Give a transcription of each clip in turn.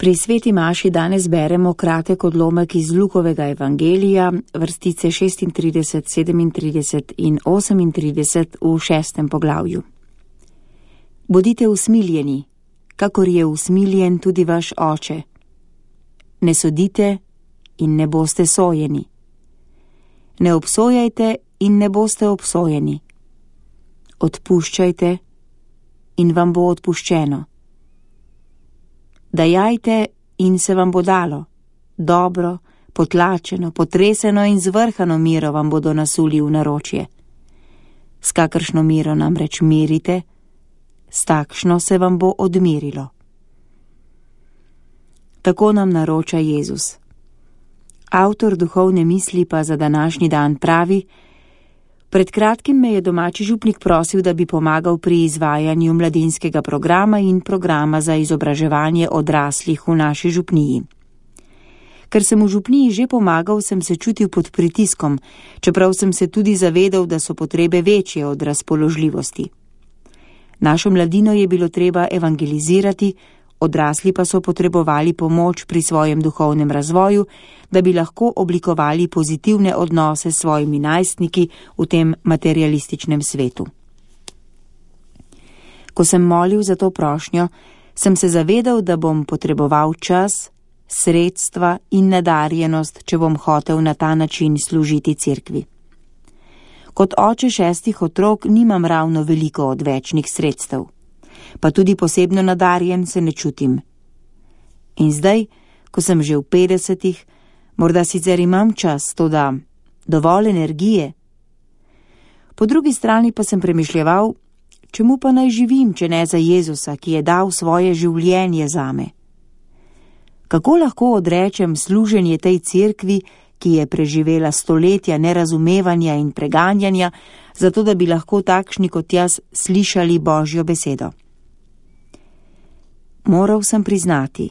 Pri sveti maši danes beremo kratek odlomek iz Lukovega evangelija, vrstice 36, 37 in 38 v 6. poglavju. Bodite usmiljeni, kakor je usmiljen tudi vaš oče. Ne sodite in ne boste sojeni. Ne obsojajte in ne boste obsojeni. Odpuščajte in vam bo odpuščeno. Dajajte in se vam bo dalo. Dobro, potlačeno, potreseno in zvrhano miro vam bodo nasuli v naročje. S kakršno miro namreč merite, s takšno se vam bo odmerilo. Tako nam naroča Jezus. Avtor duhovne misli pa za današnji dan pravi: pred kratkim me je domači župnik prosil, da bi pomagal pri izvajanju mladinskega programa in programa za izobraževanje odraslih v naši župniji. Ker sem v župniji že pomagal, sem se čutil pod pritiskom, čeprav sem se tudi zavedal, da so potrebe večje od razpoložljivosti. Našo mladino je bilo treba evangelizirati, odrasli pa so potrebovali pomoč pri svojem duhovnem razvoju, da bi lahko oblikovali pozitivne odnose s svojimi najstniki v tem materialističnem svetu. Ko sem molil za to prošnjo, sem se zavedal, da bom potreboval čas, sredstva in nadarjenost, če bom hotel na ta način služiti cerkvi. Kot oče 6 otrok nimam ravno veliko odvečnih sredstev, pa tudi posebno nadarjen se ne čutim. In zdaj, ko sem že v 50, morda sicer imam čas, toda dovolj energije. Po drugi strani pa sem premišljeval, čemu pa naj živim, če ne za Jezusa, ki je dal svoje življenje zame. Kako lahko odrečem služenje tej cerkvi, ki je preživela stoletja nerazumevanja in preganjanja, zato da bi lahko takšni kot jaz slišali Božjo besedo? Moral sem priznati,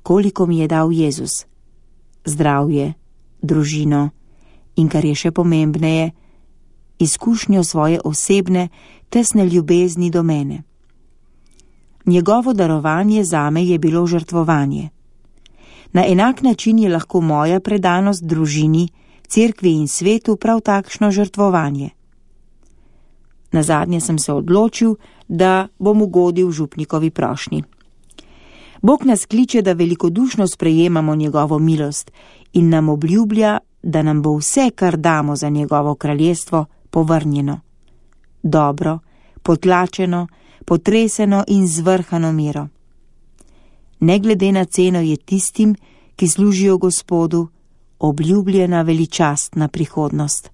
koliko mi je dal Jezus. Zdravje, družino in, kar je še pomembneje, izkušnjo svoje osebne, tesne ljubezni do mene. Njegovo darovanje zame je bilo žrtvovanje. Na enak način je lahko moja predanost družini, cerkvi in svetu prav takšno žrtvovanje. Nazadnje sem se odločil, da bom ugodil župnikovi prošnji. Bog nas kliče, da velikodušno sprejemamo njegovo milost in nam obljublja, da nam bo vse, kar damo za njegovo kraljestvo, povrnjeno. Dobro, potlačeno, potreseno in zvrhano miro. Ne glede na ceno je tistim, ki služijo Gospodu, obljubljena veličastna prihodnost.